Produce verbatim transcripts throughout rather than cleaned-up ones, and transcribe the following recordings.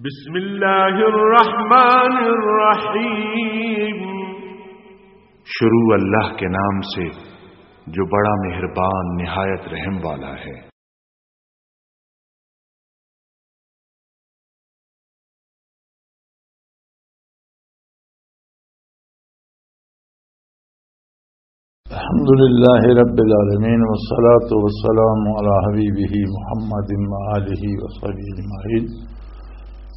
بسم اللہ الرحمن الرحیم۔ شروع اللہ کے نام سے جو بڑا مہربان نہایت رحم والا ہے۔ الحمد لله رب العالمين، والصلاة والسلام على حبيبه محمد وآله وصحبه أجمعين.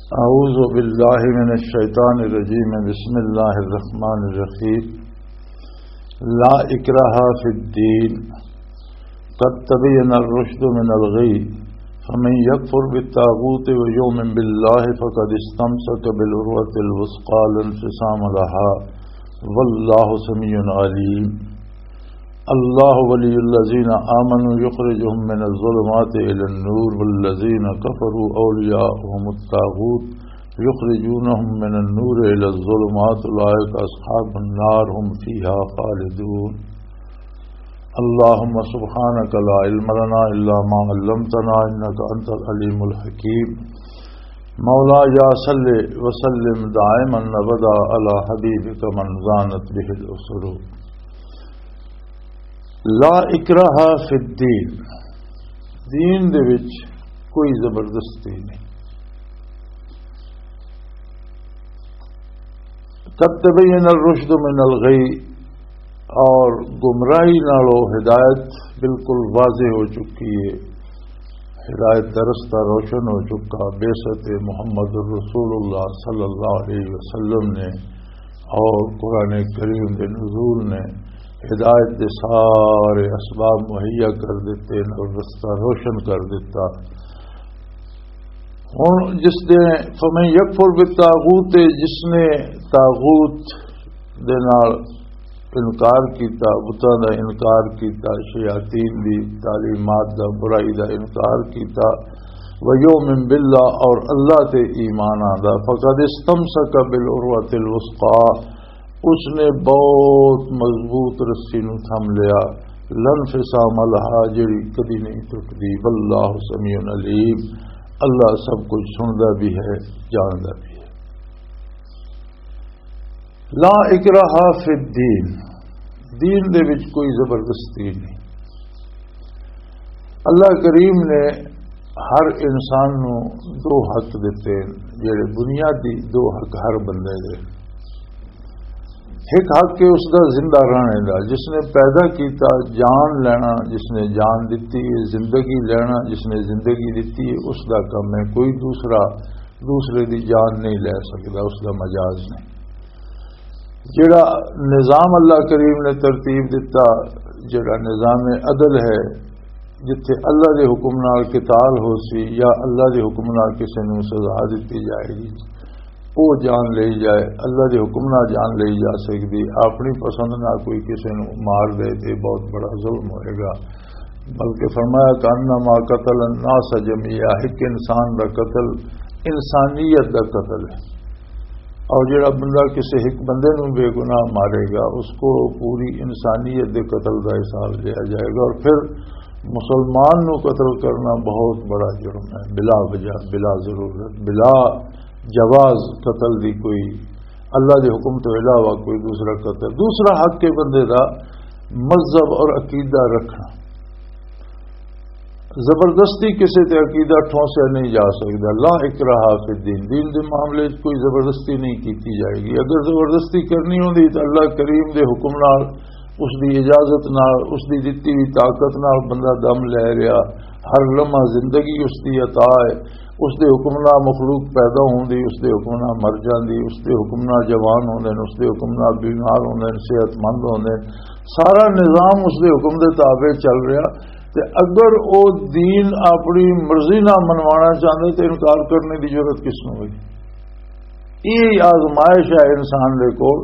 أعوذ بالله من الشيطان الرجيم. بسم الله الرحمن الرحيم. لا إكراه في الدين. قد تبين الرشد من الغي، فمن يكفر بالطاغوت ويؤمن بالله فقد استمسك بالعروة الوثقى لا انفصام لها، والله سميع عليم. الله ولي الذين آمنوا يخرجهم من الظلمات إلى النور، والذين كفروا أولياؤهم الطاغوت يخرجونهم من النور إلى الظلمات، أولئك أصحاب النار، هم فيها خالدون. اللهم سبحانك لا علم لنا إلا ما علمتنا، إنك أنت العليم الحكيم. مولاي صل وسلم دائما أبدا على حبيبك من زانت به الأسر. لا اکراہ فی الدین، دین دے وچ کوئی زبردستی نہیں۔ قد تبین الرشد من الغی، اور گمراہی نالو ہدایت بالکل واضح ہو چکی ہے۔ ہدایت دا رستہ روشن ہو چکا۔ بعثت محمد رسول اللہ صلی اللہ علیہ وسلم نے اور قرآن کریم دے نزول نے ہدایت دے سارے اسباب مہیا کر دیتے اور رستہ روشن کر دیتا۔ ہن جس دے فمن یکفر بالطاغوت، جس نے طاغوت دے نال انکار کیتا، بتاں دا انکار کیتا، شیاطین دی تعلیمات دا، برائی دا انکار کیتا، ویؤمن باللہ، اور اللہ تے ایمان آندا، فقد استمسک بالعروۃ الوثقی، اس نے بہت مضبوط رسی نو تھم لیا، لا انفصام لہا، جڑی کدی نہیں ٹوٹدی، واللہ سمیع علیم، اللہ سب کچھ سندا بھی ہے، جاندا بھی ہے۔ لا اکراہ فی الدین، دین دے وچ کوئی زبردستی نہیں۔ اللہ کریم نے ہر انسان نو دو حق دتے، جڑے بنیادی دو حق ہر بندے دے۔ ایک حق ہے اس دا زندہ رہنے دا، جس نے پیدا کیتا، جان لینا، جس نے جان دتی ہے، زندگی لینا، جس نے زندگی دتی ہے، اس دا کم ہے۔ کوئی دوسرا دوسرے دی جان نہیں لے سکدا، اس دا مجاز نہیں۔ جڑا نظام اللہ کریم نے ترتیب دتا، جڑا نظام عدل ہے، جتھے اللہ دے حکم نال قتال ہو سی یا اللہ دے حکم نال کسے نوں سزا دتی جائے گی، او جان لئی جائے، اللہ دے حکم نال جان لئی جا سکدی، اپنی پسند نال کوئی کسے نوں مار دے تے بہت بڑا ظلم ہوئے گا۔ بلکہ فرمایا، "کأنما قتل الناس جميعا"، ایک انسان دا قتل انسانیت دا قتل ہے۔ اور جڑا بندہ کسی ایک بندے نوں بے گناہ مارے گا، اس کو پوری انسانیت دے قتل دا حساب لیا جائے گا۔ اور پھر مسلمان نوں قتل کرنا بہت بڑا جرم ہے، بلا وجہ، بلا ضرورت، بلا جواز قتل دی کوئی، اللہ دے حکم تو علاوہ کوئی دوسرا قتل۔ دوسرا حق کے بندے دا مذہب اور عقیدہ رکھنا۔ زبردستی کسی تے عقیدہ ٹھونسیا نہیں جا سکدا۔ لا اکراہ فی الدین، دین دے معاملے وچ کوئی زبردستی نہیں کیتی جائے گی۔ اگر زبردستی کرنی ہوندی تو اللہ کریم دے حکم نال، اس دی اجازت نال، اس دی دتی ہوئی طاقت نال بندہ دم لے رہا، ہر لمحہ زندگی اس دی عطا ہے، اس دے حکم نال مخلوق پیدا ہوندی، اس دے حکم نال مر جاندی، اس دے حکم نال جوان ہوندے نے، اس دے حکم نال بیمار ہوندے نے، صحت مند ہوندے نے۔ سارا نظام اس دے حکم دے تابع چل رہا۔ تے اگر او دین اپنی مرضی نال منوانا چاہندے تے انکار کرنے دی ضرورت کس نوں ہوئی؟ یہ آزمائش ہے انسان دے کول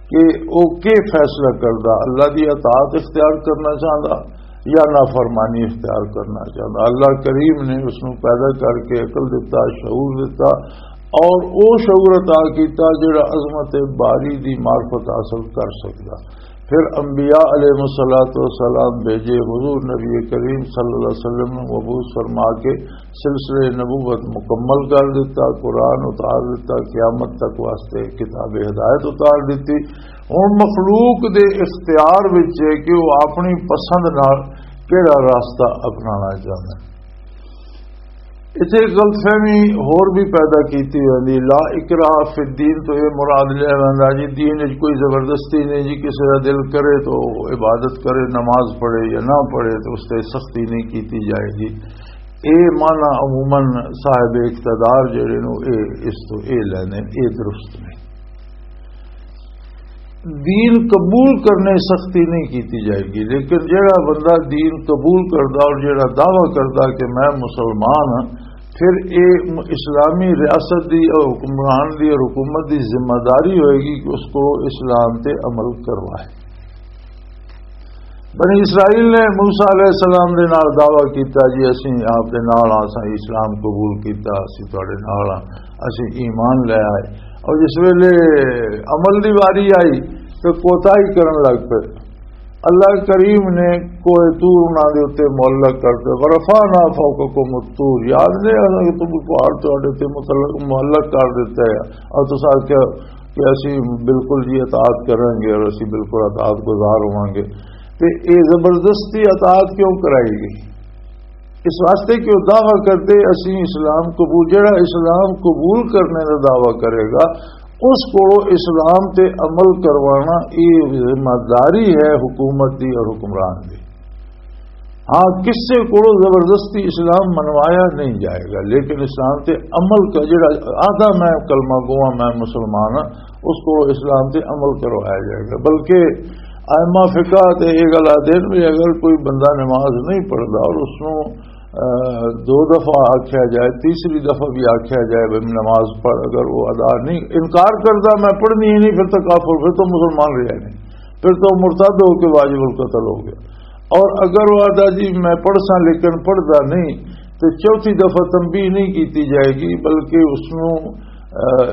کہ او کی فیصلہ کردا، اللہ دی اطاعت اختیار کرنا چاہندا یا نافرمانی اختیار کرنا چاہندا۔ اللہ کریم نے اس نوں پیدا کر کے عقل دتا، شعور دتا، اور او شعور عطا کیتا جڑا عظمت باری دی معرفت حاصل کر سکدا۔ پھر انبیاء علیہ الصلوۃ والسلام بھیجے، حضور نبی کریم صلی اللہ علیہ وسلم نو مبعوث فرما کے سلسلہ نبوت مکمل کر دیتا، قرآن اتار دیتا، قیامت تک واسطے کتاب ہدایت اتار دیتی۔ ہن مخلوق دے اختیار وچ ہے کہ وہ اپنی پسند نال کیڑا راستہ اپنانا چاہندا ہے۔ اتھے ایک غلط فہمی ہور بھی پیدا کیتی ویندی۔ لا اکراہ فی الدین تو یہ مراد لیا ویندا جی، دین وچ کوئی زبردستی نہیں جی، کسی دا دل کرے تو عبادت کرے، نماز پڑھے یا نہ پڑھے، تو اس تے سختی نہیں کیتی جائے گی۔ اے معنی عموماً صاحب اقتدار جڑے نو، اے اس تو اے لینے، اے درست نہیں۔ دین قبول کرنے سختی نہیں کیتی جائے گی، لیکن جڑا بندہ دین قبول کردا اور جڑا دعویٰ کردا کہ میں مسلمان ہاں، پھر اے اسلامی ریاست دی اور حکمران دی اور حکومت دی ذمہ داری ہوئے گی کہ اس کو اسلام تے عمل کروائے۔ بنی اسرائیل نے موسیٰ علیہ السلام دے نال دعویٰ کیتا، "جی، اسیں آپ دے نال آں، اساں اسلام قبول کیتا، اسیں تہاڈے نال آں، اسیں ایمان لے آئے۔" اور جس ویلے عمل دی واری آئی تو کوتاہی کرن لگ پئے۔ اللہ کریم نے کوہ طور انہاں دے اُتے معلق کر دے، "ورفعنا فوقکم الطور"، یاد نہیں، اساں تم پہاڑ تہاڈے تے متعلق، معلق کر دیتا ہے، اور تساں آکھیا کہ اسی بالکل جی اطاعت کریں گے اور اسی بالکل اطاعت گزار ہوواں گے۔ تے اے زبردستی اطاعت کیوں کرائی گئی؟ اس واسطے کہ وہ دعویٰ کرتے، "اسی اسلام قبول"، جڑا اسلام قبول کرنے کا دعویٰ کرے گا، اس کو اسلام تے عمل کروانا یہ ذمہ داری ہے حکومت دی اور حکمران دی۔ ہاں، کسے کو زبردستی اسلام منوایا نہیں جائے گا، لیکن اسلام تے عمل کا جڑا آدھا میں کلمہ گواں، میں مسلمان ہاں، اس کو اسلام تے عمل کروایا جائے گا۔ بلکہ ائمہ فقہ تے یہ گل آدھے نے بھی اگر کوئی بندہ نماز نہیں پڑھدا اور اس نوں، آ، دو دفعہ آکھیا جائے، تیسری دفعہ بھی آکھیا جائے بھی نماز پڑھ، اگر وہ ادا نہیں، انکار کردا، "میں پڑھنی ہی نہیں"، پھر تو کافر، پھر تو مسلمان رہا نہیں، پھر تو مرتد ہو کے واجب القتل ہو گیا۔ اور اگر وہ آدھا، "جی میں پڑھ ساں لیکن پڑھدا نہیں"، تو چوتھی دفعہ تنبیہ نہیں کیتی جائے گی، بلکہ اس نوں، آ،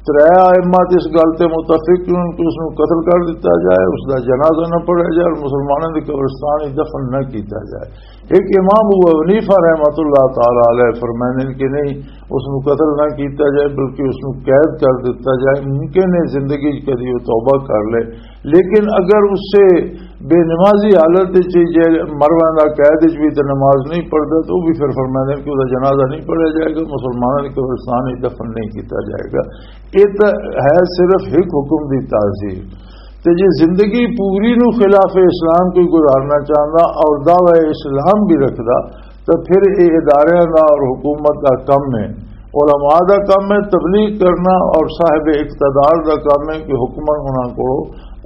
ترے ائمہ تے اس گل تے متفق نے کہ اس نوں قتل کر دتا جائے، اس دا جنازہ نہ پڑھا جائے اور مسلمانوں دی قبرستان وچ دفن نہ کیتا جائے۔ ایک امام ابو حنیفہ رحمۃ اللہ تعالی علیہ فرمانے کہ نہیں، اس نوں قتل نہ کیتا جائے، بلکہ اس نوں قید کر دتا جائے۔ ممکن ہے زندگی وچ کدی وہ توبہ کر لے، لیکن اگر اس سے بے نمازی حالت وچ جے مر ویندا، قید وچ بھی تے نماز نہیں پڑھدا، تو وہ بھی پھر فرماندے کہ اس دا جنازہ نہیں پڑھا جائے گا، مسلمانوں کی قبرستان وچ دفن نہیں کیتا جائے گا۔ یہ تو ہے صرف ایک حکم دی تعزیر۔ تے جے زندگی پوری نو خلاف اسلام کوئی گزارنا چاہندا اور دعوی اسلام بھی رکھدا، تو پھر یہ اداریاں دا اور حکومت دا کم ہے، علماء دا کم ہے، تبلیغ کرنا اور صاحب اقتدار دا کم ہے کہ حکمن انہاں کو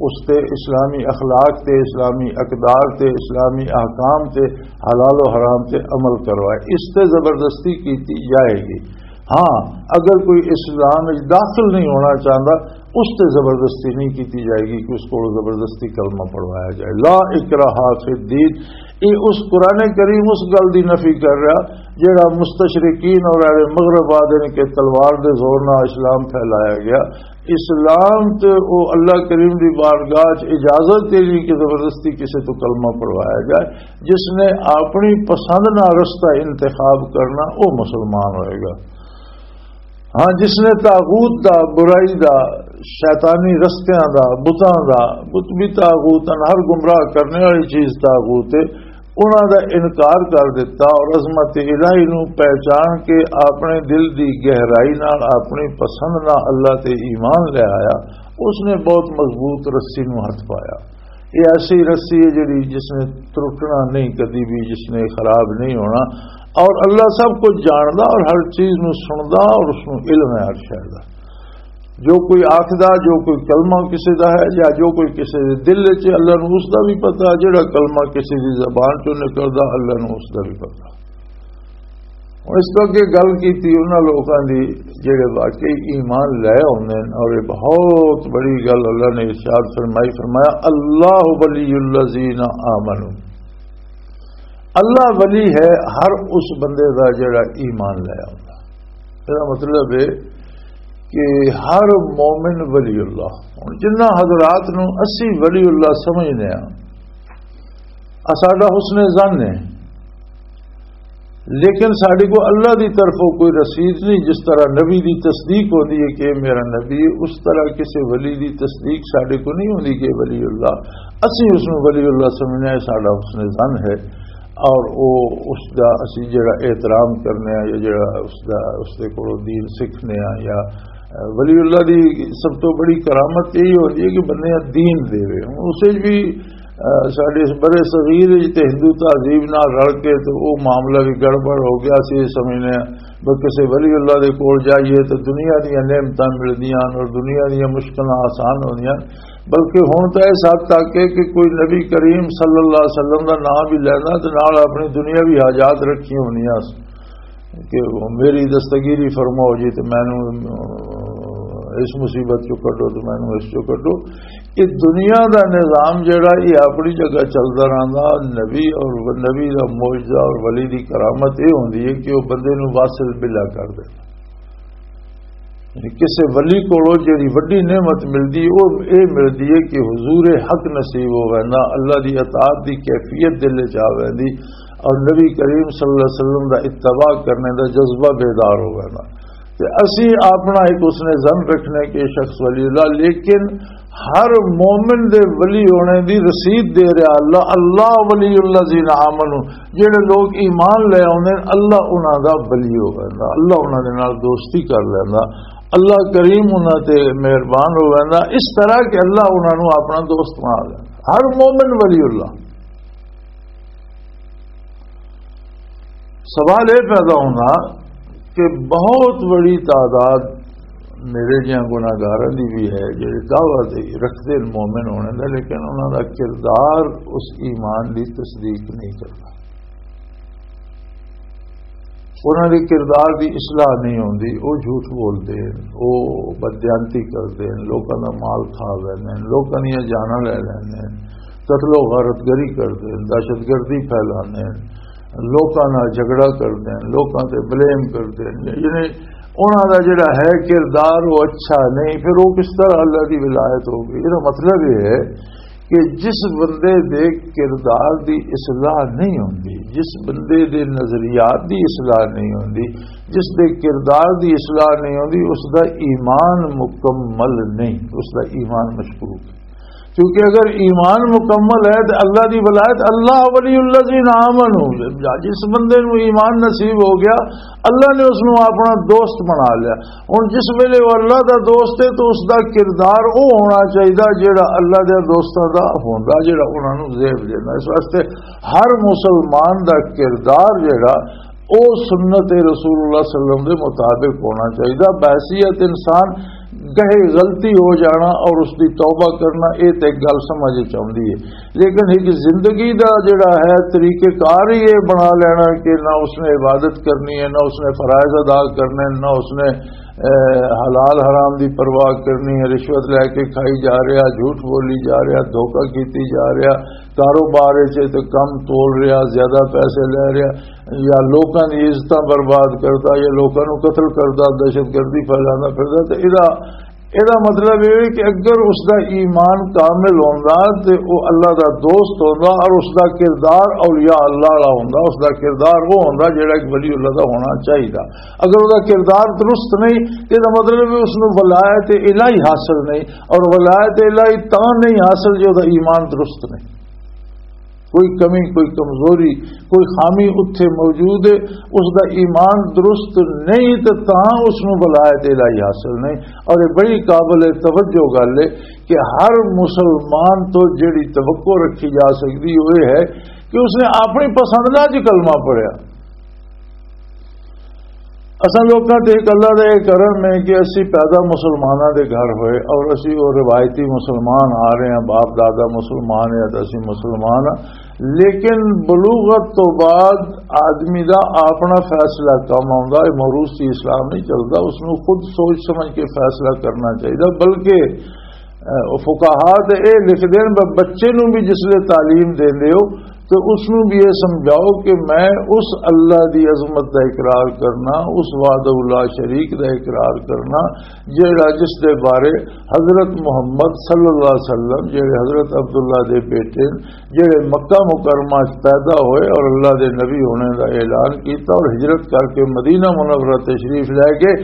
اس تے اسلامی اخلاق تے، اسلامی اقدار تے، اسلامی احکام تے، حلال و حرام تے عمل کروائے۔ اس تے زبردستی کیتی جائے گی۔ ہاں، اگر کوئی اسلام وچ داخل نہیں ہونا چاہندا، اس تے زبردستی نہیں کیتی جائے گی کہ اس کو زبردستی کلمہ پڑھوایا جائے۔ لا اکراہ فی الدین، یہ اس قرآن کریم اس گل دی نفی کر رہا جڑا مستشرقین اور اہل مغرب آدھے نے کہ تلوار دے زور نال اسلام پھیلایا گیا۔ اسلام تے او اللہ کریم دی بارگاہ چ اجازت دے دی کہ زبردستی کسے تو کلمہ پڑھوایا جائے۔ جس نے اپنی پسند نہ رستہ انتخاب کرنا، او مسلمان ہوئے گا۔ ہاں، جس نے طاغوت دا، برائی دا، شیطانی رستیاں دا، بتاں دا، بت بھی طاغوت ہن، ہر گمراہ کرنے والی چیز طاغوت ہے، انہاں دا انکار کر دیتا اور عظمت الہی نو پہچان کے اپنے دل دی گہرائی نال اپنی پسند نال اللہ تے ایمان لے آیا، اس نے بہت مضبوط رسی نو ہتھ پایا۔ یہ ایسی رسی ہے جڑی جس نے ترٹنا نہیں کدی بھی، جس نے خراب نہیں ہونا۔ اور اللہ سب کچھ جاندا اور ہر چیز نو سندا اور اس نو علم ہے ہر شے دا۔ جو کوئی آکھدا، جو کوئی کلمہ کسی دا ہے یا جو کوئی کسی دے دل وچ ہے، اللہ نو اس دا بھی پتہ۔ جڑا کلمہ کسی دی زبان چوں نکلدا، اللہ نو اس دا بھی پتہ۔ ہن اس تو اگے گل کیتی انہاں لوکاں دی جڑے واقعی ایمان لے آوندے نے، اور یہ بہت بڑی گل اللہ نے ارشاد فرمائی، فرمایا، "اللہ ولی الذین آمنوا"، اللہ ولی ہے ہر اس بندے دا جڑا ایمان لے آوندا۔ اس دا مطلب ہے کہ ہر مومن ولی اللہ، ہن جنہ حضرات نوں اسی ولی اللہ سمجھنے ہاں، آ ساڈا حسن ظن ہے، لیکن ساڈے کو اللہ دی طرفوں کوئی رسید نہیں۔ جس طرح نبی دی تصدیق ہوندی ہے کہ اے میرا نبی ہے، اس طرح کسی ولی دی تصدیق ساڈے کو نہیں ہوندی کہ ولی اللہ، اسی اس نوں ولی اللہ سمجھنے ہاں، ساڈا حسن ظن ہے۔ اور او اس دا اسی جڑا احترام کرنے ہاں یا جڑا اس دا، اس دے کولوں دین سیکھنے ہاں یا ولی اللہ دی سب تو بڑی کرامت یہی ہوندی ہے کہ بندے دین دے وے۔ ہن اسے بھی، آ، ساڈے اس برے صغیر وچ تے ہندو تہذیب نال رل کے تے او معاملہ بھی گڑبڑ ہو گیا۔ اسی یہ سمجھنے ہاں بس کسے ولی اللہ دے کول جائیے تے دنیا دیاں نعمتاں ملدیاں ہن اور دنیا دیاں مشکلاں آسان ہوندیاں ہن۔ بلکہ ہن تاں اس حد تک ہے کہ کوئی نبی کریم صلی اللہ علیہ وسلم دا نام بھی لینا تے نال اپنی دنیاوی حاجات رکھی ہوندیاں ہن۔ کہ میری دستگیری فرماؤ جی، تو مینوں، اہ، اس مصیبت چوں کڈو، تو مینوں اس چوں کڈو۔ یہ دنیا دا نظام جڑا، یہ اپنی جگہ چلدا رہندا۔ نبی اور نبی دا معجزہ اور ولی دی کرامت یہ ہوندی ہے کہ وہ بندے نوں واصل بلا کر دے۔ یعنی کسے ولی کولوں جڑی وڈی نعمت ملدی، وہ یہ ملدی ہے کہ حضور حق نصیب ہو ویندا، اللہ دی اطاعت دی کیفیت دل وچ آ ویندی، اور نبی کریم صلی اللہ علیہ وسلم دا اتباع کرنے دا جذبہ بیدار ہو ویندا۔ تے اسی اپنا ایک حسن ظن رکھنے کہ یہ شخص ولی اللہ، لیکن ہر مومن دے ولی ہونے دی رسید دے رہا اللہ، اللہ ولی الذین آمنوا، جڑے لوگ ایمان لے آوندے نے، اللہ انہاں دا ولی ہو ویندا، اللہ انہاں دے نال دوستی کر لیندا، اللہ کریم انہاں تے مہربان ہو ویندا، اس طرح کہ اللہ انہاں نوں اپنا دوست بنا لیندا۔ ہر مومن ولی اللہ۔ سوال یہ پیدا ہونا کہ بہت بڑی تعداد میرے جہاں گناہگاراں دی بھی ہے، جڑے دعویٰ تے رکھدے نے مومن ہونے دا، لیکن انہاں دا کردار اس ایمان دی تصدیق نہیں کردا۔ انہاں دے کردار دی اصلاح نہیں ہوندی، وہ جھوٹ بولدے نے، وہ بددیانتی کردے نے، لوکاں دا مال کھا لیندے نے، لوکاں دیاں جاناں لے لیندے نے، قتل و غارت گری کردے نے، دہشت گردی پھیلاندے نے، لوکاں نال جھگڑا کردے نے، لوکاں تے بلیم کردے نے۔ یعنی انہاں دا جڑا ہے کردار، وہ اچھا نہیں، پھر وہ کس طرح اللہ دی ولایت ہوگی؟ یہ مطلب یہ ہے کہ جس بندے دے کردار دی اصلاح نہیں ہوندی، جس بندے دے نظریات دی اصلاح نہیں ہوندی، جس دے کردار دی اصلاح نہیں ہوندی، اس دا ایمان مکمل نہیں، اس دا ایمان مشکوک ہے۔ کیونکہ اگر ایمان مکمل ہے تو اللہ دی ولایت، اللہ ولی الذین آمنوا، جس بندے نو ایمان نصیب ہو گیا، اللہ نے اس نو اپنا دوست بنا لیا۔ ہن جس ویلے وہ اللہ دا دوست ہے تو اس دا کردار وہ ہونا چاہیے جڑا اللہ دے دوستاں دا ہوندا، جڑا انہاں نوں زیب دیندا۔ اس واسطے ہر مسلمان دا کردار جڑا، او سنت رسول اللہ صلی اللہ علیہ وسلم دے مطابق ہونا چاہیے۔ بحیثیت انسان کہیں غلطی ہو جانا اور اس دی توبہ کرنا، اے تے ایک گل سمجھ وچ آؤندی ہے، لیکن ایک زندگی دا جڑا ہے طریقہ کار ہی یہ بنا لینا کہ نہ اس نے عبادت کرنی ہے، نہ اس نے فرائض ادا کرنے، نہ اس نے، اے، حلال حرام دی پرواہ کرنی ہے، رشوت لے کے کھائی جا رہا، جھوٹ بولی جا رہا، دھوکہ کیتی جا رہا، کاروبار وچ تے کم تول رہا، زیادہ پیسے لے رہا، یا لوکاں دی عزتاں برباد کردا، یا لوکاں نوں قتل کردا، دہشت گردی پھیلاندا پھردا، تے ایدا، ایدا مطلب یہ ہے کہ اگر اس دا ایمان کامل ہوندا تے او اللہ دا دوست ہوندا اور اس دا کردار اولیاء اللہ والا ہوندا، اس دا کردار وہ ہوندا جڑا ایک ولی اللہ دا ہونا چاہیدا۔ اگر اس دا کردار درست نہیں تے ایدا مطلب ہے اس نوں ولایت الہی حاصل نہیں، اور ولایت الہی تاں نہیں حاصل جو دا ایمان درست نہیں۔ کوئی کمی، کوئی کمزوری، کوئی خامی اتھے موجود ہے، اس دا ایمان درست نہیں تے تاں اس نوں ولایت الہی حاصل نہیں۔ اور یہ بڑی قابل توجہ گل ہے کہ ہر مسلمان تو جڑی توقع رکھی جا سکتی وہ یہ ہے کہ اس نے اپنی پسند نال جی کلمہ پڑھیا۔ اساں لوکاں تے ایک اللہ دا یہ کرم ہے کہ اسی پیدا مسلماناں دے گھر ہوئے اور اسی وہ روایتی مسلمان آ رہے ہیں، باپ دادا مسلمان ہے تو اسی مسلمان ہاں۔ لیکن بلوغت تو بعد آدمی دا اپنا فیصلہ کم آوندا ہے، موروثی اسلام نہیں چلدا، اس نوں خود سوچ سمجھ کے فیصلہ کرنا چاہیے۔ بلکہ، اے، فقہا تے اے لکھ دین، ب-، بچے نوں بھی جس لے تعلیم دیندے ہو تو اس نوں بھی یہ سمجھاؤ کہ میں اس اللہ دی عظمت دا اقرار کرنا، اس وحدہ لا شریک دا اقرار کرنا، جیڑا، جس دے بارے حضرت محمد صلی اللہ علیہ وسلم، جیڑے حضرت عبداللہ دے بیٹے، جیڑے مکہ مکرمہ چ پیدا ہوئے اور اللہ دے نبی ہونے دا اعلان کیتا اور ہجرت کر کے مدینہ منورہ تشریف لے گئے،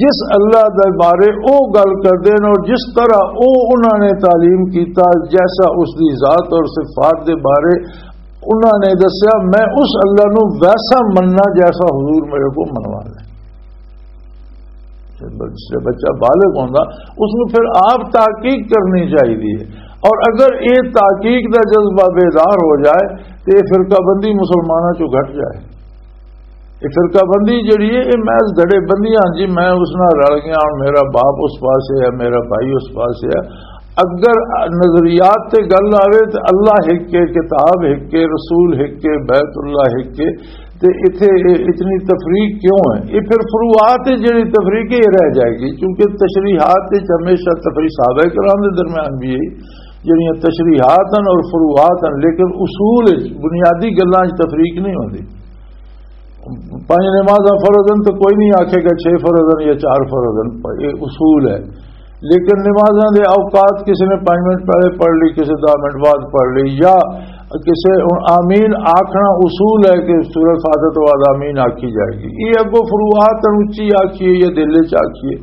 جس اللہ دے بارے او گل کردے نے اور جس طرح او انہاں نے تعلیم کیتا، جیسا اس دی ذات اور صفات دے بارے انہاں نے دسیا، میں اس اللہ نو ویسا مننا جیسا حضور میرے کو منوا لے۔ جس لے بچہ بالغ ہوندا، اس نو پھر آپ تحقیق کرنی چاہیے۔ اور اگر یہ تحقیق دا جذبہ بیدار ہو جائے تو یہ فرقہ بندی مسلمانوں چوں گھٹ جائے۔ یہ فرقہ بندی جڑی ہے، یہ محض دڑے بندیاں، جی میں اس نال رل گیا، ہن میرا باپ اس پاسے ہے، میرا بھائی اس پاسے ہے۔ اگر نظریات تے گل آوے تے اللہ ہک ہے، کتاب ہک ہے، رسول ہک ہے، بیت اللہ ہک ہے، تے اتھے یہ اتنی تفریق کیوں ہے؟ یہ پھر فروعات ہے جڑی تفریق، یہ رہ جائے گی، کیونکہ تشریحات وچ ہمیشہ تفریق، صحابہ کرام دے درمیان بھی ہے، جڑیاں تشریحات ہیں اور فروعات ہیں، لیکن اصول وچ، بنیادی گلاں وچ تفریق نہیں ہوندی۔ پنج نمازاں فرض ہیں تو کوئی نہیں آکھے گا چھ فرض ہیں یا چار فرض ہیں، یہ اصول ہے۔ لیکن نمازاں دے اوقات، کسی نے پانچ منٹ پہلے پڑھ لی، کسی دہ منٹ بعد پڑھ لی، یا کسی، ہن آمین آکھنا اصول ہے کہ سورہ فاتحہ تو بعد آمین آکھی جائے گی۔ یہ اگوں فروعات ہیں، اچھی آکھیے یا دل وچ آکھیے۔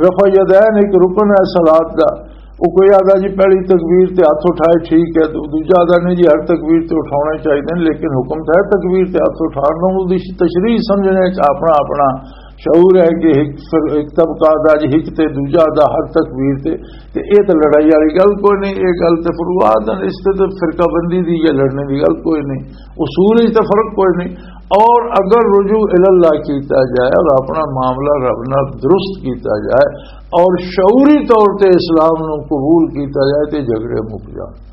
رفع یدین ایک رکن ہے صلات دا۔ وہ کوئی آدھا جی پہلی تکبیر تے ہاتھ اٹھائے، ٹھیک ہے، دو-، دوجا آدھا نہیں جی ہر تکبیر تے اٹھاؤنے چاہیے، لیکن حکم تو ہے تکبیر تے ہاتھ اٹھان دا، اس دی تشریح سمجھنے وچ اپنا اپنا شعور ہے کہ ایک فر-، ایک طبقہ آدھا جی ایک تے دوجا آدھا ہر تکبیر تے، تے اے تے لڑائی والی گل کوئی نہیں، اے گل تے فروعات ہیں، اس تے تے فرقہ بندی دی یا لڑنے دی گل کوئی نہیں، اصول وچ تے فرق کوئی نہیں۔ اور اگر رجوع الی اللہ کیتا جائے اور اپنا معاملہ رب نال درست کیتا جائے اور شعوری طور تے اسلام نو قبول کیتا جائے تے جھگڑے مک جان۔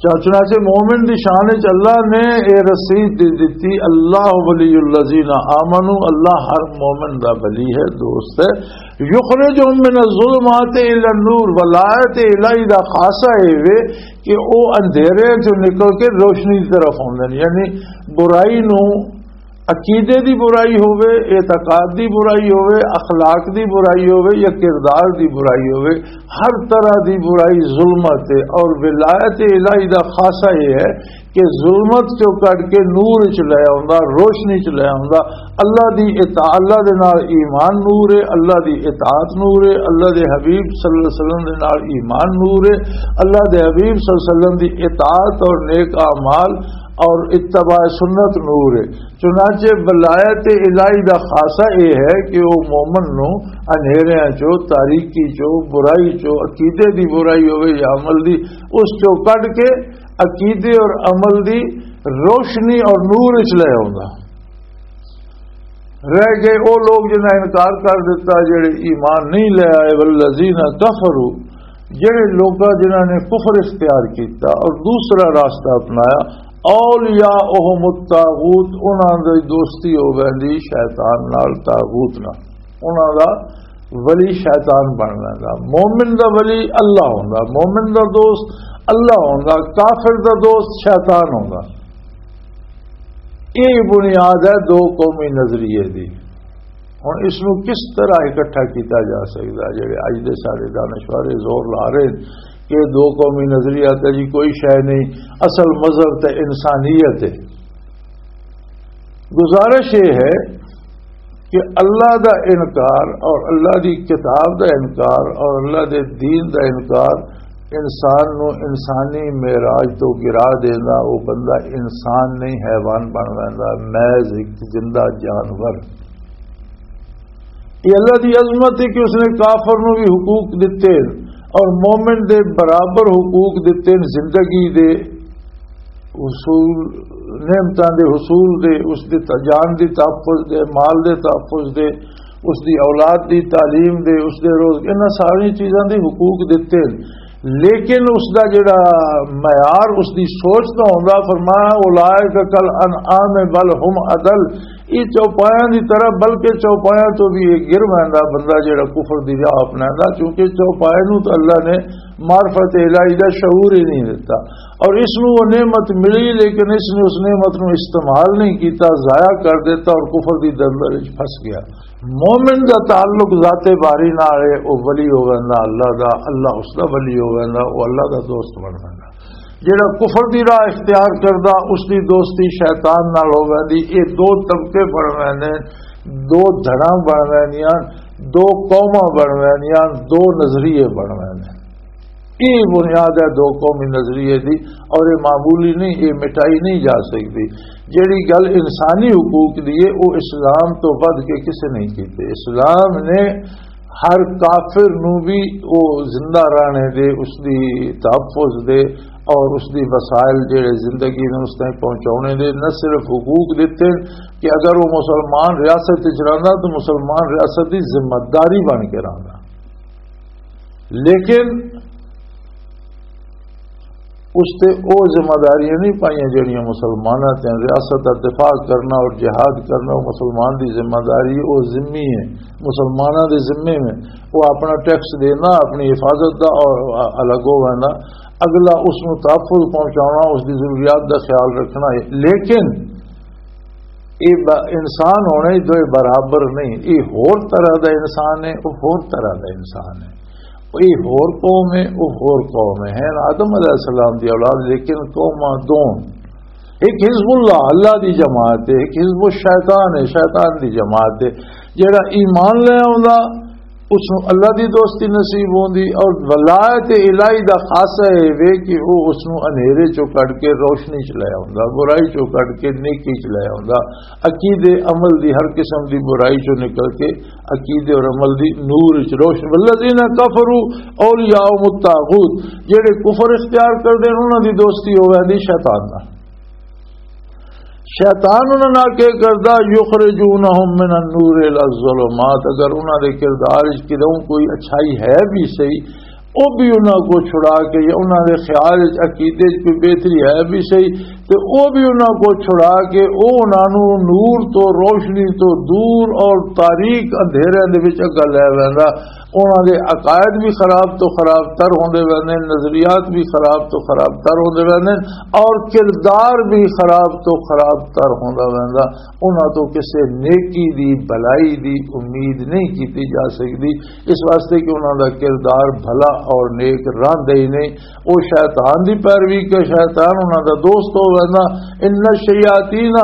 چا-، چنانچہ مومن دی شان وچ اللہ نے اے رسید دے دتی، اللہ ولی الذین آمنو، اللہ ہر مومن دا ولی ہے، دوست ہے۔ یخرجہم من الظلمات الی النور، ولایت الہی دا خاصہ اے وے کہ او اندھیرے چوں نکل کے روشنی دی طرف آوندے نے، یعنی برائی نو، عقیدے دی برائی ہووے، اعتقاد دی برائی ہووے، اخلاق دی برائی ہووے یا کردار دی برائی ہووے، ہر طرح دی برائی ظلمت ہے۔ اور ولایت الہی دا خاصہ یہ ہے کہ ظلمت چوں کڈ کے نور چ لے آوندا، روشنی چ لے آوندا۔ اللہ دی اطاعت، اللہ دے نال ایمان نور ہے، اللہ دی اطاعت نور ہے، اللہ دے حبیب صلی اللہ علیہ وسلم دے نال ایمان نور ہے، اللہ دے حبیب صلی اللہ علیہ وسلم دی اطاعت اور نیک اعمال اور اتباع سنت نور ہے۔ چنانچہ ولایت الہی دا خاصہ یہ ہے کہ وہ مومن نو اندھیریاں چو، تاریکی چو، برائی چو، عقیدے دی برائی ہوئے یا عمل دی، اس چو کڈ کے عقیدے اور عمل دی روشنی اور نور وچ لے آوندا۔ رہ گئے او لوگ جنہاں انکار کر دیتا، جڑے ایمان نہیں لے آئے۔ والذین کفروا، جڑے لوگاں جنہاں نے کفر اختیار کیتا اور دوسرا راستہ اپنایا، اولیاءہم الطاغوت، انہاں دی دوستی ہو ویندی شیطان نال، طاغوت نال۔ انہاں دا ولی شیطان بن ویندا۔ مومن دا ولی اللہ ہوندا، مومن دا دوست اللہ ہوندا، کافر دا دوست شیطان ہوندا۔ یہ بنیاد ہے دو قومی نظریے دی۔ ہن اس نوں کس طرح اکٹھا کیتا جا سکدا؟ جڑے اج دے سارے دانشور زور لا رہے ہیں کہ دو قومی نظریہ تے جی کوئی شے نہیں، اصل مذہب تے انسانیت ہے۔ گزارش یہ ہے کہ اللہ دا انکار اور اللہ دی کتاب دا انکار اور اللہ دے دین دا انکار انسان نو انسانی معراج تو گرا دیندا۔ وہ بندہ انسان نہیں، حیوان بن ویندا، محض ایک زندہ جانور۔ یہ اللہ دی عظمت ہے کہ اس نے کافر نو بھی حقوق دتے اور مومن دے برابر حقوق دتے، زندگی دے حصول، نعمتاں دے حصول دے، اس دے ت-، جان دی تحفظ دے، مال دے تحفظ دے، اس دی اولاد دی تعلیم دے، اس دے روز، انہاں ساری چیزاں دے حقوق دتے ہیں۔ لیکن اس دا جڑا معیار، اس دی سوچ دا ہوندا، فرمایا، "اولئک کل انعام بل ہم اضل"، یہ چوپایاں دی طرح، بلکہ چوپایاں تو بھی یہ گر ویندا بندہ جڑا کفر دی راہ اپنایندا، کیونکہ چوپائے نوں تو اللہ نے معرفت الہی دا شعور ہی نہیں دیتا، اور اس نوں وہ نعمت ملی، لیکن اس نے اس نعمت نوں استعمال نہیں کیتا، ضائع کر دیتا اور کفر دی دلدل وچ پھنس گیا۔ مومن دا تعلق ذات باری نال ہے، او ولی ہو ویندا اللہ دا، اللہ اس دا ولی ہو ویندا، او اللہ دا دوست بن ویندا۔ جڑا کفر دی راہ اختیار کردا، اس دی دوستی شیطان نال ہو ویندی۔ یہ دو طبقے بن ویندے، دو دھڑاں بن ویندیاں، دو قوماں بن ویندیاں، دو نظریے بن ویندے۔ یہ بنیاد ہے دو قومی نظریے دی، اور یہ معمولی نہیں، یہ مٹائی نہیں جا سکتی۔ جڑی گل انسانی حقوق دی ہے، وہ اسلام تو ودھ کے کسے نہیں کیتے۔ اسلام نے ہر کافر نوں بھی وہ زندہ رہنے دے، اس دی تحفظ دے اور اس دی وسائل جڑے زندگی نوں اس تائیں پہنچاونے دے نہ صرف حقوق دتے کہ اگر وہ مسلمان ریاست وچ رہندا تو مسلمان ریاست دی ذمہ داری بن کے رہندا، لیکن اس تے او ذمہ داریاں نہیں پائیاں جڑیاں مسلماناں تے۔ ریاست دا دفاع کرنا اور جہاد کرنا، او مسلمان دی ذمہ داری، او ذمہ ہے، مسلماناں دے ذمے میں۔ او اپنا ٹیکس دینا، اپنی حفاظت دا اور الگ ہو وینا، اگلا اس نوں تحفظ پہنچانا، اس دی ضروریات دا خیال رکھنا ہے۔ لیکن یہ ب-، انسان ہونے ہی دوئے برابر نہیں۔ یہ ہور طرح دا انسان ہے، وہ ہور طرح دا انسان ہے۔ یہ ہور قوم ہے، وہ ہور قوم ہے۔ ہیں آدم علیہ السلام دی اولاد، لیکن قوماں دو۔ ایک حزب اللہ، اللہ دی جماعت ہے، ایک حزب الشیطان ہے، شیطان دی جماعت ہے۔ جڑا ایمان لے آوندا، اس نوں اللہ دی دوستی نصیب ہوندی، اور ولایت الہی دا خاصہ اے وے کہ او اس نوں انہیرے چوں کڈ کے روشنی چ لے آوندا، برائی چوں کڈ کے نیکی چ لے آوندا، عقیدے عمل دی ہر قسم دی برائی چوں نکل کے عقیدے اور عمل دی نور چ روشن۔ والذین کفروا اولیاءهم الطاغوت، جڑے کفر اختیار کردے نے، انہاں دی دوستی ہووے دی شیطان نال۔ شیطان انہاں نال کی کردا؟ یخرجونہم من النور الی الظلمات۔ اگر انہاں دے کردار وچ کدوں کوئی اچھائی ہے بھی صحیح، او بھی انہاں کو چھڑا کے، یا انہاں دے خیال وچ عقیدے وچ کوئی بہتری ہے بھی صحیح، تے او بھی انہاں کو چھڑا کے، او انہاں نوں نور تو، روشنی تو دور اور تاریک اندھیرے دے وچ اگا لے ویندا۔ انہاں دے عقائد بھی خراب تو خراب تر ہوندے ویندے، نظریات بھی خراب تو خراب تر ہوندے ویندے، اور کردار بھی خراب تو خراب تر ہوندا ویندا۔ انہاں تو کسے نیکی دی، بھلائی دی امید نہیں کیتی جا سکدی، اس واسطے کہ انہاں دا کردار بھلا اور نیک رہندا ہی نہیں۔ او شیطان دی پیروی کے، شیطان انہاں دا دوست ہو ویندا۔ ان الشیاطین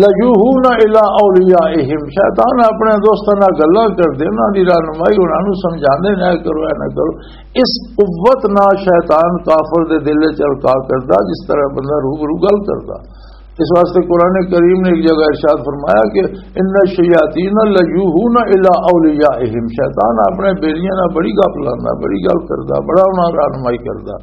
لیوحون الی اولیائہم، شیطان اپنے دوستاں نال گلاں کردے، انہاں دی رہنمائی، انہاں نوں سمجھاندے نے، "اے کرو، اے نہ کرو۔" اس قوت نال شیطان کافر دے دل وچ القا کردا، جس طرح بندہ روبرو گل کردا۔ اس واسطے قرآن کریم نے ایک جگہ ارشاد فرمایا کہ "ان الشیاطین لیوحون الی اولیائہم"، شیطان اپنے بیلیاں نال بڑی گپ لاندا، بڑی گل کردا، بڑا انہاں رہنمائی کردا۔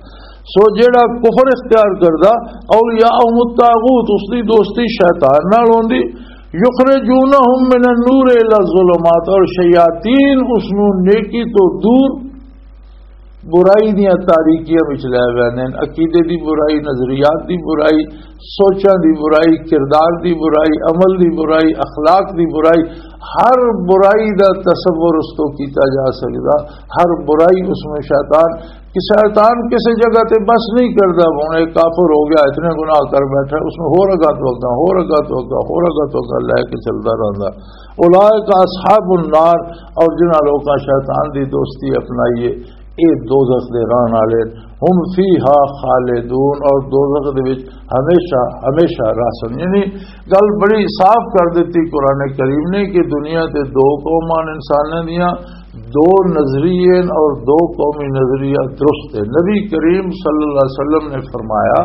سو جیڑا کفر اختیار کردا، اولیاء الطاغوت، اس دی دوستی شیطان نال ہوندی۔ یخرجونہم من النور الی الظلمات، اور شیاطین اس نوں نیکی تو دور برائی دیاں تاریکیاں وچ لے ویندے نے، عقیدے دی برائی، نظریات دی برائی، سوچاں دی برائی، کردار دی برائی، عمل دی برائی، اخلاق دی برائی، ہر برائی دا تصور اس تو کیتا جا سکدا، ہر برائی اس میں شیطان کہ شیطان کسی جگہ تے بس نہیں کردا، ہن ایک کافر ہو گیا، اتنے گناہ کر بیٹھا، اس نوں ہور اگا تو اگا، ہور اگا تو اگا، ہور اگا تو اگا لے کے چلدا رہندا۔ اولئک اصحاب النار، اور جنہاں لوکاں شیطان دی دوستی اپنائی ہے، اے دوزخ دے رہن والے، ہم فیہا خالدون، اور دوزخ دے وچ ہمیشہ ہمیشہ رہسن۔ یعنی گل بڑی صاف کر دتی قرآن کریم نے کہ دنیا تے دو قوماں انساناں دیاں، دو نظریے اور دو قومی نظریہ درست ہے۔ نبی کریم صلی اللہ علیہ وسلم نے فرمایا،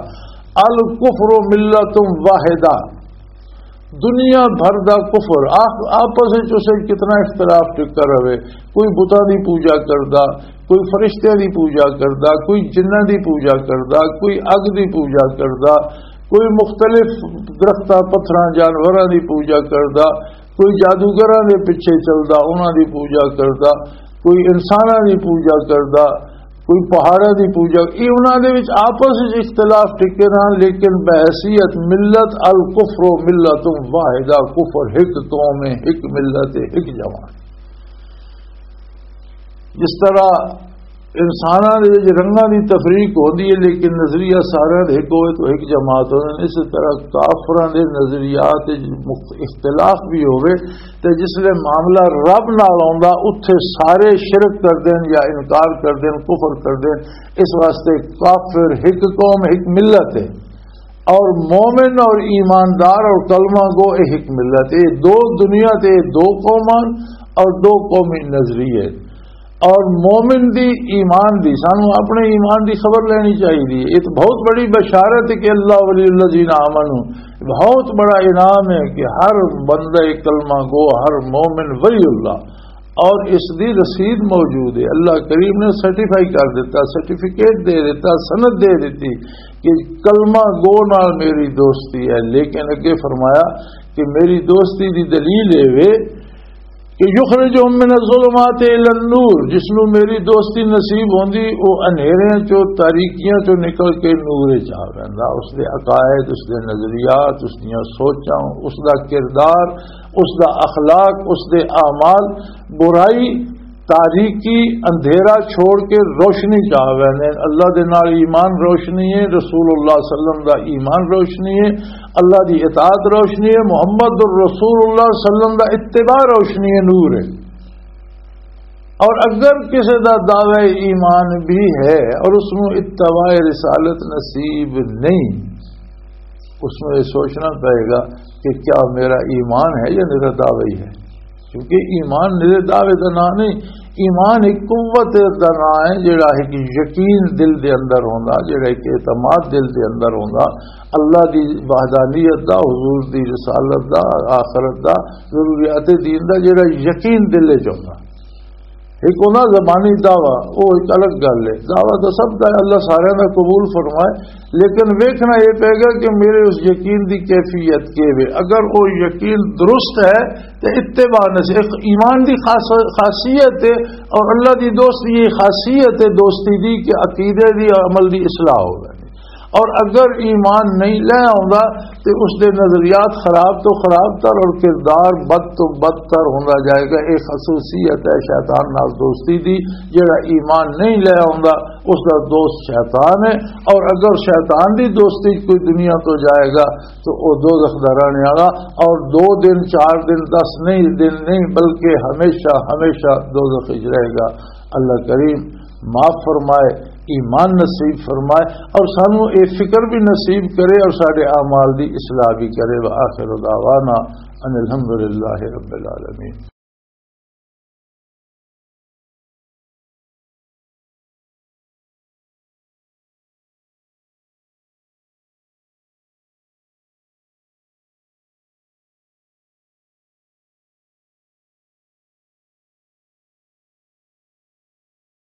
"الکفر ملۃ واحدہ"، دنیا بھر دا کفر، آ-، آپس وچ اسے کتنا اختلاف ٹکر رہے، کوئی بتاں دی پوجا کردا، کوئی فرشتیاں دی پوجا کردا، کوئی جناں دی پوجا کردا، کوئی اگ دی پوجا کردا، کوئی مختلف درختاں، پتھراں، جانوراں دی پوجا کردا، کوئی جادوگراں دے پیچھے چلدا، انہاں دی پوجا کردا، کوئی انساناں دی پوجا کردا، کوئی پہاڑاں دی پوجا، یہ انہاں دے وچ آپس وچ اختلاف ٹکے رہن، لیکن بحیثیت ملت الکفر و ملت واحدہ، کفر ایک قوم ہے، ایک ملت ہے، ایک جماعت۔ جس طرح انساناں دے وچ رنگاں دی تفریق ہوندی ہے، لیکن نظریہ سارے دے ایک ہوئے تو ایک جماعت ہوندے نے، اسی طرح کافراں دے نظریات وچ مخت-، اختلاف بھی ہوئے، تے جس لے معاملہ رب نال آوندا، اتھے سارے شرک کر دین یا انکار کر دین، کفر کر دین۔ اس واسطے کافر ایک قوم، ایک ملت ہے، اور مومن اور ایماندار اور کلمہ گو ایک ملت ہے۔ دو دنیا تے دو قومان اور دو قومی نظریے۔ اور مومن دی، ایمان دی، سانو اپنے ایمان دی خبر لینی چاہیے۔ یہ تو بہت بڑی بشارت ہے کہ اللہ ولی الذین آمنوا، بہت بڑا انعام ہے کہ ہر بندہ کلمہ گو، ہر مومن ولی اللہ، اور اس دی رسید موجود ہے۔ اللہ کریم نے سرٹیفائی کر دیتا، سرٹیفکیٹ دے دیتا، سند دے دیتی کہ کلمہ گو نال میری دوستی ہے۔ لیکن اگے فرمایا کہ میری دوستی دی دلیل اے وے کہ یخرجہم من الظلمات الی النور، جس نو میری دوستی نصیب ہوندی، او اندھیریاں چوں، تاریکیاں چوں نکل کے نور وچ آ ویندا۔ اس دے عقائد، اس دے نظریات، اس دیاں سوچاں، اس دا کردار، اس دا اخلاق، اس دے اعمال، برائی، تاریکی، اندھیرا چھوڑ کے روشنی چ آ ویندے نے۔ اللہ دے نال ایمان روشنی ہے، رسول اللہ صلی اللہ علیہ وسلم دا ایمان روشنی ہے، اللہ دی اطاعت روشنی ہے، محمد الرسول اللہ صلی اللہ علیہ وسلم دا اتباع روشنی ہے، نور ہے۔ اور اگر کسی دا دعوی ایمان بھی ہے اور اس نوں اتباع رسالت نصیب نہیں، اس نوں یہ سوچنا پائے گا کہ کیا میرا ایمان ہے یا میرا دعوی ہے، کیونکہ ایمان میرے دعوے دا نام نہیں۔ ایمان ایک قوت دا نام ہے، جڑا ایک یقین دل دے اندر ہوندا، جڑا ایک اعتماد دل دے اندر ہوندا، اللہ دی وحدانیت دا، حضور دی رسالت دا، آخرت دا، ضروریات دین دا، جڑا یقین دل وچ ہوندا۔ ایک ہوندا زبانی دعویٰ، وہ ایک الگ گل ہے۔ دعویٰ تو سب دا، اللہ سارے دا قبول فرمائے، لیکن ویکھنا یہ پے گا کہ میرے اس یقین دی کیفیت کے وے۔ اگر وہ یقین درست ہے تو اتباع نصیب، ایک ایمان دی خاص-، خاصیت ہے، اور اللہ دی دوستی یہ خاصیت ہے دوستی دی کہ عقیدے دی، عمل دی اصلاح ہو گئی۔ اور اگر ایمان نہیں لے آوندا تے اس دے نظریات خراب تو خراب تر اور کردار بد تو بدتر ہوندا جائے گا۔ ایک خصوصیت ہے شیطان نال دوستی دی، جڑا ایمان نہیں لے آوندا، اس دا دوست شیطان ہے۔ اور اگر شیطان دی دوستی کوئی دنیا تو جائے گا تو وہ دوزخ دا رہنے والا، اور دو دن، چار دن، دس نہیں، دن نہیں، بلکہ ہمیشہ ہمیشہ دوزخ وچ رہے گا۔ اللہ کریم معاف فرمائے، ایمان نصیب فرمائے، اور سانو اے فکر بھی نصیب کرے اور سارے اعمال دی اصلاح بھی کرے۔ وآخر دعوانا ان الحمدللہ رب العالمین۔